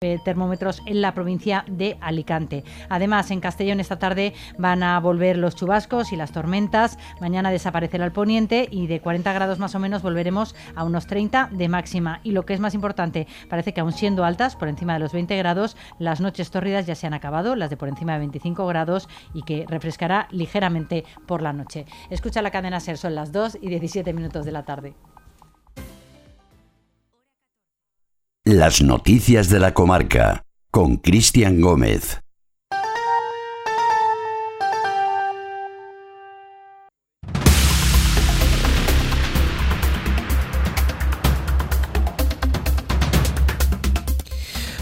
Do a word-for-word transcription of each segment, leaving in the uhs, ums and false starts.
termómetros en la provincia de Alicante. Además, en Castellón esta tarde van a volver los chubascos y las tormentas. Mañana desaparecerá el poniente y de cuarenta grados más o menos volveremos a unos treinta de máxima. Y lo que es más importante, parece que aún siendo altas, por encima de los veinte grados, las noches tórridas ya se han acabado, las de por encima de veinticinco grados, y que refrescará ligeramente por la noche. Escucha la cadena SER, son las dos y diecisiete minutos de la tarde. Las noticias de la comarca, con Cristian Gómez.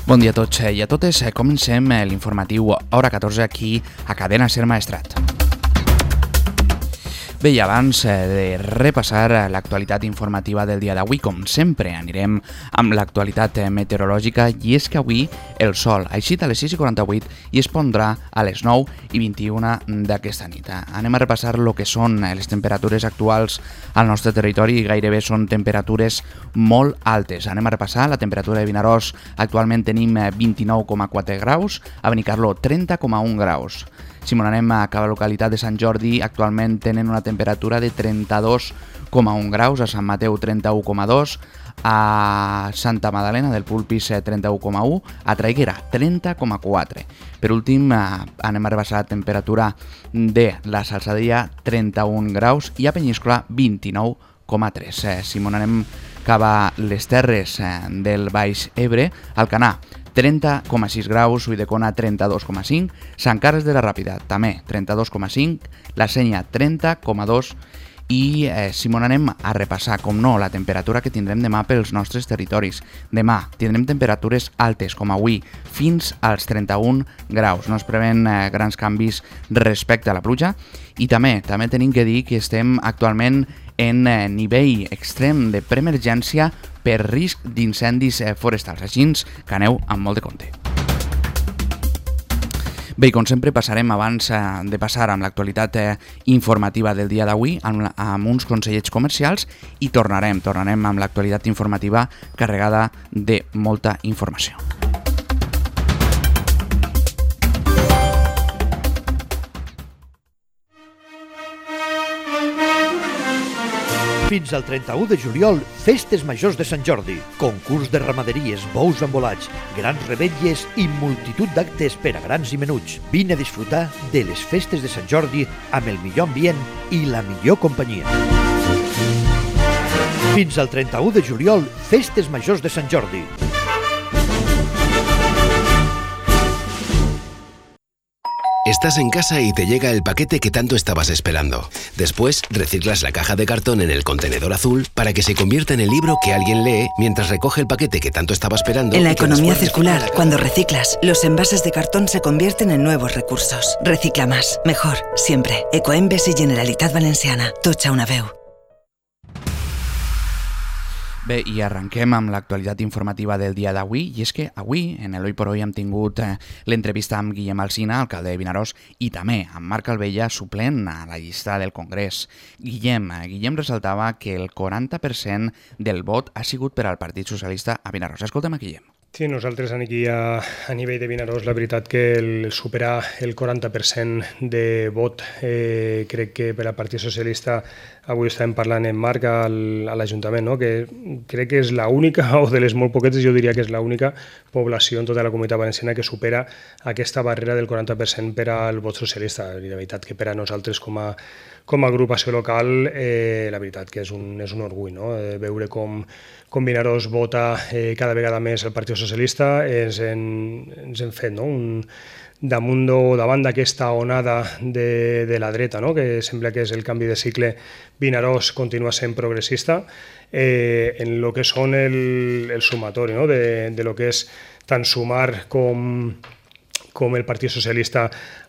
Bon dia a tots i a totes. Comencem l'informatiu hora catorze aquí a Cadena SER Maestrat. Bé, i abans de repassar l'actualitat informativa del dia d'avui, com sempre, anirem amb l'actualitat meteorològica, i és que avui el sol ha eixit a les sis i quaranta-vuit i es pondrà a les nou i vint-i-una d'aquesta nit. Anem a repassar el que són les temperatures actuals al nostre territori, i gairebé són temperatures molt altes. Anem a repassar la temperatura de Vinaròs. Actualment tenim vint-i-nou coma quatre graus, a Benicarló trenta coma un graus. Si m'ho anem a cada localitat de Sant Jordi, actualment tenen una temperatura de trenta-dos coma un graus, a Sant Mateu trenta-u coma dos, a Santa Madalena del Pulpis trenta-u coma un, a Traiguera trenta coma quatre. Per últim, anem a rebaixar la temperatura de la Salzadella, trenta-un graus, i a Penyíscola vint-i-nou coma tres. Si m'ho anem cap a les terres del Baix Ebre, Alcanar trenta coma sis graus, Ulldecona trenta-dos coma cinc, Sant Carles de la Ràpita també trenta-dos coma cinc, La Sénia trenta coma dos, i eh, si m'ho anem a repassar, com no, la temperatura que tindrem demà pels nostres territoris. Demà tindrem temperatures altes, com avui, fins als trenta-un graus. No es preven eh, grans canvis respecte a la pluja, i també també tenim que dir que estem actualment en eh, nivell extrem de preemergència per risc d'incendis eh, forestals. Així que aneu amb molt de compte. Bé, com sempre, passarem abans eh, de passar amb l'actualitat eh, informativa del dia d'avui amb, amb uns consellets comercials, i tornarem, tornarem amb l'actualitat informativa carregada de molta informació. Fins al trenta-u de juliol, Festes Majors de Sant Jordi, concurs de ramaderies, bous embolats, grans revetlles i multitud d'actes per a grans i menuts. Vine a disfrutar de les Festes de Sant Jordi amb el millor ambient i la millor companyia. Fins al trenta-u de juliol, Festes Majors de Sant Jordi. Estás en casa y te llega el paquete que tanto estabas esperando. Después, reciclas la caja de cartón en el contenedor azul para que se convierta en el libro que alguien lee mientras recoge el paquete que tanto estaba esperando. En la economía circular, cuando reciclas, los envases de cartón se convierten en nuevos recursos. Recicla más, mejor, siempre. Ecoembes y Generalitat Valenciana. Tots a una veu. Bé, i arrenquem amb l'actualitat informativa del dia d'avui, i és que avui, en l'Hoy por Hoy, hem tingut eh, l'entrevista amb Guillem Alsina, alcalde de Vinaròs, i també amb Marc Albella, suplent a la llista del Congrés. Guillem, eh, Guillem ressaltava que el quaranta per cent del vot ha sigut per al Partit Socialista a Vinaròs. Escolta'm a Guillem. Sí, nosaltres aquí a, a nivell de Vinaròs, la veritat que el superar el quaranta per cent de vot, eh, crec que per al Partit Socialista, avui estàvem parlant en Marc al, a l'Ajuntament, no? Que crec que és l'única, o de les molt poquetes, jo diria que és l'única població en tota la Comunitat Valenciana que supera aquesta barrera del quaranta per cent per al vot socialista. I la veritat que per a nosaltres com a, com a agrupació local, eh, la veritat que és un, és un orgull, no? Eh, veure com, com Vinaròs vota eh, cada vegada més el Partit Socialista, ens, en, ens hem fet, no? Un, damunt o davant d'aquesta onada de, de la dreta, no? Que sembla que és el canvi de cicle. Vinaròs continua sent progressista eh, en el que són el, el sumatori, no? de, de lo que és tant Sumar com, com el Partit Socialista.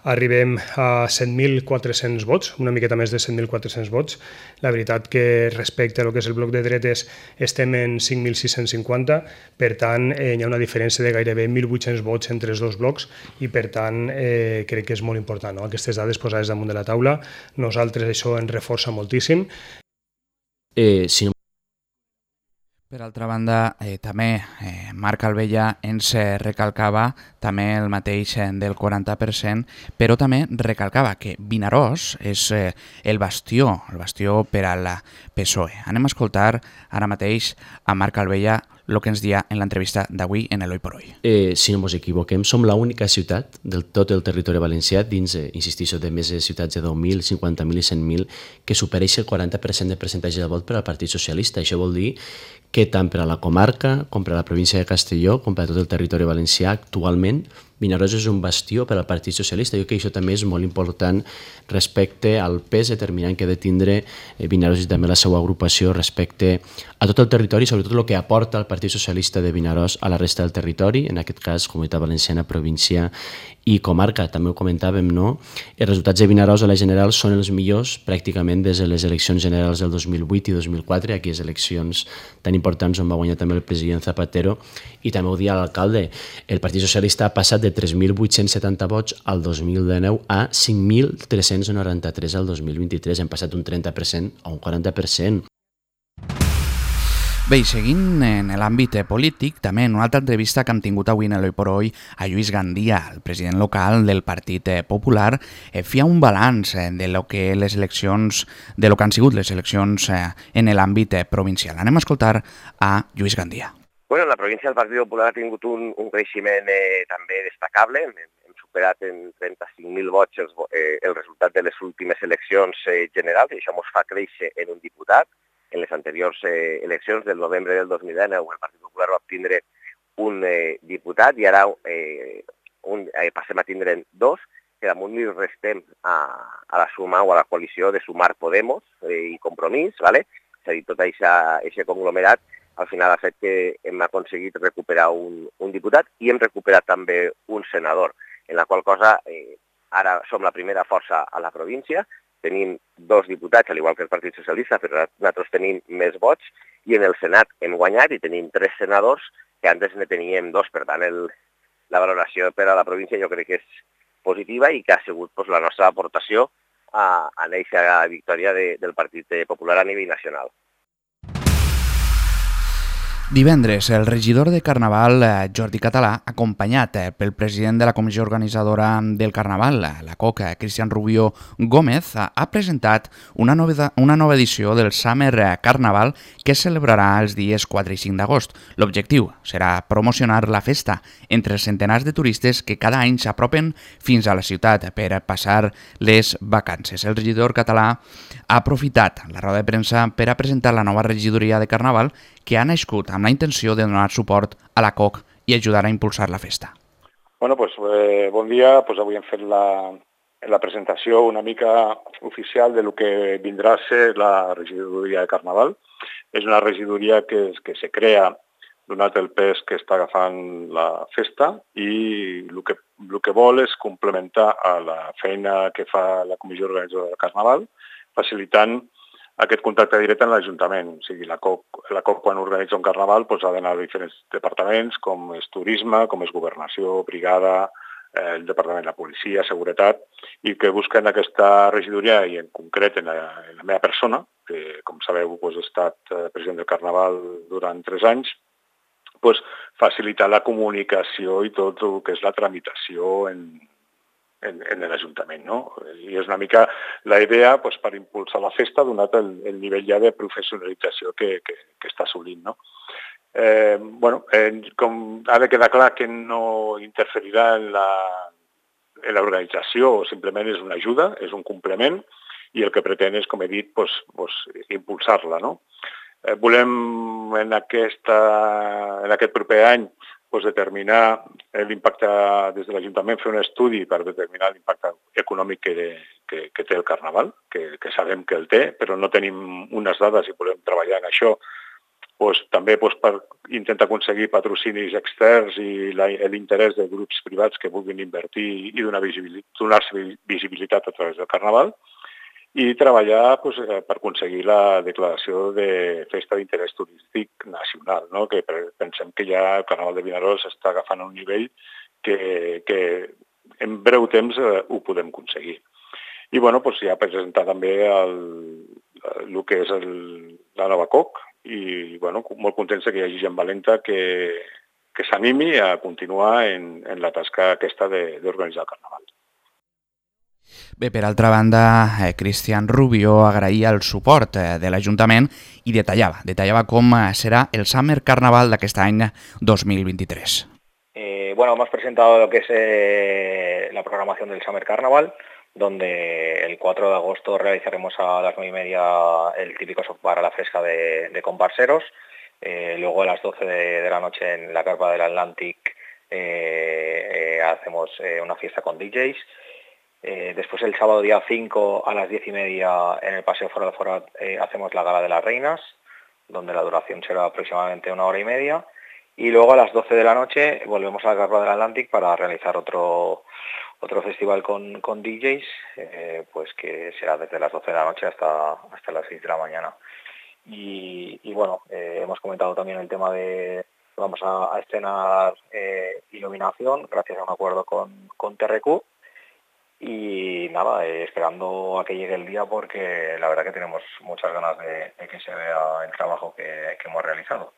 Arribem a set mil quatre-cents vots, una miqueta més de set mil quatre-cents vots. La veritat que respecte a lo que és el bloc de dretes estem en cinc mil sis-cents cinquanta, per tant eh, hi ha una diferència de gairebé mil vuit-cents vots entre els dos blocs, i per tant eh, crec que és molt important, no? Aquestes dades posades damunt de la taula. Nosaltres això ens reforça moltíssim. Eh, si no Per altra banda, eh, també eh, Marc Albella ens eh, recalcava també el mateix eh, del quaranta per cent, però també recalcava que Vinaròs és eh, el bastió, el bastió per al P S O E. Anem a escoltar ara mateix a Marc Albella el que ens dia en l'entrevista d'avui en l'Hoy por Hoy. Eh, si no ens equivoquem, som l'única ciutat del tot el territori valencià, dins, eh, insistixo, de més de ciutats de deu mil, cinquanta mil i cent mil, que supereix el quaranta per cent de percentatge de vot per al Partit Socialista. Això vol dir que tant per a la comarca com per a la província de Castelló, com per a tot el territori valencià, actualment Vinaròs és un bastió per al Partit Socialista. Jo crec que això també és molt important respecte al pes determinant que ha de tindre Vinaròs i també la seva agrupació respecte a tot el territori, sobretot el que aporta el Partit Socialista de Vinaròs a la resta del territori, en aquest cas Comunitat Valenciana, província i comarca. També ho comentàvem, no? Els resultats de Vinaròs a la general són els millors pràcticament des de les eleccions generals del dos mil vuit i dos mil quatre, aquelles eleccions tan importants on va guanyar també el president Zapatero, i també ho dia l'alcalde. El Partit Socialista ha passat de tres mil vuit-cents setanta vots al dos mil dinou a cinc mil tres-cents noranta-tres al dos mil vint-i-tres. Hem passat un trenta per cent a un quaranta per cent. Bé, i seguint en l'àmbit polític, també en una altra entrevista que hem tingut avui en l'Hoy por Hoy a Lluís Gandia, el president local del Partit Popular, eh, feia un balanç eh, de lo que les eleccions, de lo que han sigut les eleccions eh, en l'àmbit eh, provincial. Anem a escoltar a Lluís Gandia. Bueno, la província del Partit Popular ha tingut un, un creixement eh, també destacable. Hem, hem superat en trenta-cinc mil vots els, eh, el resultat de les últimes eleccions eh, generals, i això ens fa créixer en un diputat. En les anteriors eh, eleccions del novembre del dos mil dinou el Partit Popular va obtindre un eh, diputat i ara eh, un, eh, passem a tindre'n dos, que damunt li restem a, a la suma o a la coalició de Sumar Podemos eh, i Compromís, ¿vale? És a dir, tot aquest conglomerat al final ha fet que hem aconseguit recuperar un, un diputat i hem recuperat també un senador, en la qual cosa eh, ara som la primera força a la província, tenim dos diputats, al igual que el Partit Socialista, però nosaltres tenim més vots, i en el Senat hem guanyat i tenim tres senadors, que antes ne teníem dos. Per tant, el, la valoració per a la província jo crec que és positiva i que ha sigut pues, la nostra aportació a, a aquesta victòria de, del Partit Popular a nivell nacional. Divendres, el regidor de Carnaval, Jordi Català, acompanyat pel president de la comissió organitzadora del Carnaval, la COC, Cristian Rubio Gómez, ha presentat una nova, una nova edició del Summer Carnaval que es celebrarà els dies quatre i cinc d'agost. L'objectiu serà promocionar la festa entre els centenars de turistes que cada any s'apropen fins a la ciutat per passar les vacances. El regidor català ha aprofitat la roda de premsa per a presentar la nova regidoria de Carnaval que ha nascut amb la intenció de donar suport a la COC i ajudar a impulsar la festa. Bueno, pues, eh, bon dia. Pues avui hem fet la, la presentació una mica oficial de lo que vindrà a ser la regidoria de Carnaval. És una regidoria que, que se crea donat el pes que està agafant la festa i el que, el que vol és complementar a la feina que fa la comissió organitzadora del Carnaval, facilitant aquest contacte directe en l'Ajuntament. O sigui, la COC, la COC quan organitza un carnaval doncs, ha d'anar a diferents departaments, com és turisme, com és governació, brigada, eh, el departament de la policia, seguretat, i que busquen aquesta regidoria, i en concret en la, en la meva persona, que com sabeu doncs, he estat president del carnaval durant tres anys, doncs, facilitar la comunicació i tot el que és la tramitació en en, en l'Ajuntament, no? I és una mica la idea pues, per impulsar la festa, donat el, el nivell ja de professionalització que, que, que està assolint, no? Eh, bueno, eh, com ha de quedar clar que no interferirà en la en l'organització, simplement és una ajuda, és un complement, i el que pretén és, com he dit, pues, pues, impulsar-la, no? Eh, volem en, aquesta, en aquest proper any pues, determinar l'impacte des de l'Ajuntament, fer un estudi per determinar l'impacte econòmic que, que, que té el Carnaval, que, que sabem que el té, però no tenim unes dades i volem treballar en això, pues, també pues, per intentar aconseguir patrocinis externs i l'interès de grups privats que vulguin invertir i donar visibilitat, donar-se visibilitat a través del Carnaval, i treballar pues, per aconseguir la declaració de festa d'interès turístic nacional, no? Que pensem que ja el Carnaval de Vinaròs està agafant un nivell que, que en breu temps eh, ho podem aconseguir. I bueno, pues, ja presentar també el, el que és el, la nova COC i bueno, molt contents que hi hagi gent valenta que, que s'animi a continuar en, en la tasca aquesta d'organitzar el Carnaval. Bé, per altra banda, eh, Cristian Rubio agraïa el suport eh, de l'Ajuntament i detallava, detallava com serà el Summer Carnaval d'aquest any dos mil vint-i-tres. Eh, bueno, hemos presentado lo que es eh, la programación del Summer Carnaval, donde el cuatro de agosto realizaremos a las nueve y media el típico sopar a la fresca de, de comparseros, eh, luego a las doce de, de la noche en la carpa del Atlantic eh, eh, hacemos eh, una fiesta con D Js. Eh, después el sábado día cinco a las diez y media en el Paseo Fora de Fora eh, hacemos la Gala de las Reinas, donde la duración será aproximadamente una hora y media. Y luego a las doce de la noche volvemos a la Carpa del Atlantic para realizar otro, otro festival con, con D Js, eh, pues que será desde las doce de la noche hasta, hasta las seis de la mañana. Y, y bueno, eh, hemos comentado también el tema de vamos a, a estrenar eh, iluminación gracias a un acuerdo con, con T R Q. Y nada, eh, esperando a que llegue el día porque la verdad que tenemos muchas ganas de, de que se vea el trabajo que, que hemos realizado.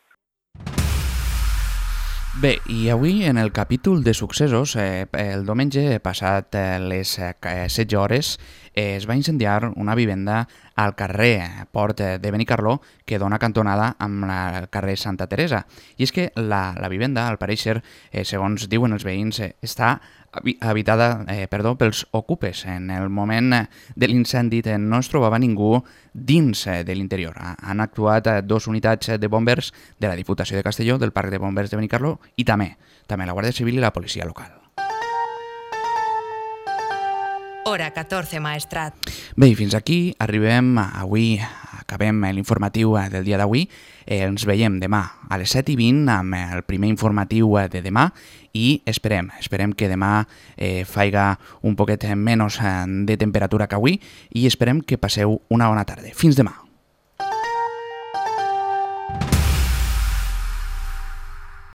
Bé, i avui en el capítol de successos, eh, el diumenge passat eh, les eh, setze hores eh, es va incendiar una vivenda al carrer Port de Benicarló que dona cantonada amb el carrer Santa Teresa. I és que la, la vivenda, al pareixer, eh, segons diuen els veïns, eh, està habitada eh, perdó, pels ocupes. En el moment de l'incendi no es trobava ningú dins de l'interior. Han actuat dos unitats de bombers de la Diputació de Castelló, del Parc de Bombers de Benicarló i també, també la Guàrdia Civil i la policia local. Hora catorze, Maestrat. Bé, i fins aquí arribem avui, acabem l'informatiu del dia d'avui. Eh, ens veiem demà a les set i vint amb el primer informatiu de demà i esperem, esperem que demà eh, faiga un poquet menys de temperatura que avui i esperem que passeu una bona tarda. Fins demà.